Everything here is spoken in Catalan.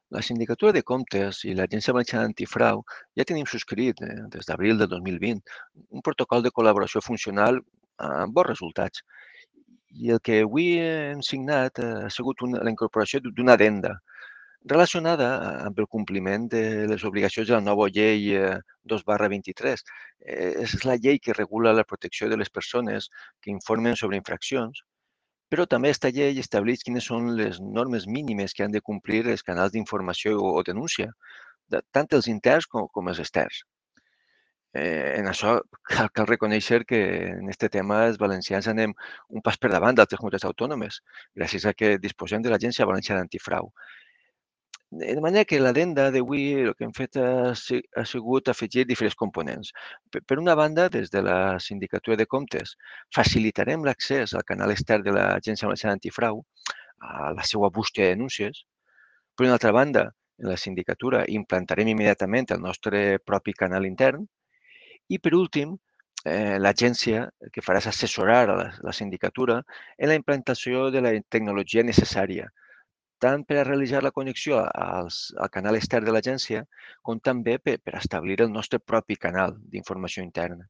La Sindicatura de Comptes i l'Agència Valenciana Antifrau ja tenim subscrit, des d'abril de 2020, un protocol de col·laboració funcional amb bons resultats. I el que avui hem signat ha sigut la incorporació d'una addenda relacionada amb el compliment de les obligacions de la nova llei 2/23. És la llei que regula la protecció de les persones que informen sobre infraccions, però també esta llei estableix quines són les normes mínimes que han de complir els canals d'informació o denúncia, tant els interns com els externs. En això cal reconèixer que en aquest tema els valencians anem un pas per davant d'altres comunitats autònomes, gràcies a que disposem de l'Agència Valenciana Antifrau. De manera que l'addenda d'avui el que hem fet ha sigut afegir diferents components. Per una banda, des de la Sindicatura de Comptes, facilitarem l'accés al canal extern de l'Agència Valenciana Antifrau a la seva bústia de denúncies. Per una altra banda, en la sindicatura implantarem immediatament el nostre propi canal intern. I per últim, l'agència el que farà és assessorar a la sindicatura en la implantació de la tecnologia necessària, tant per a realitzar la connexió al canal extern de l'agència, com també per establir el nostre propi canal d'informació interna.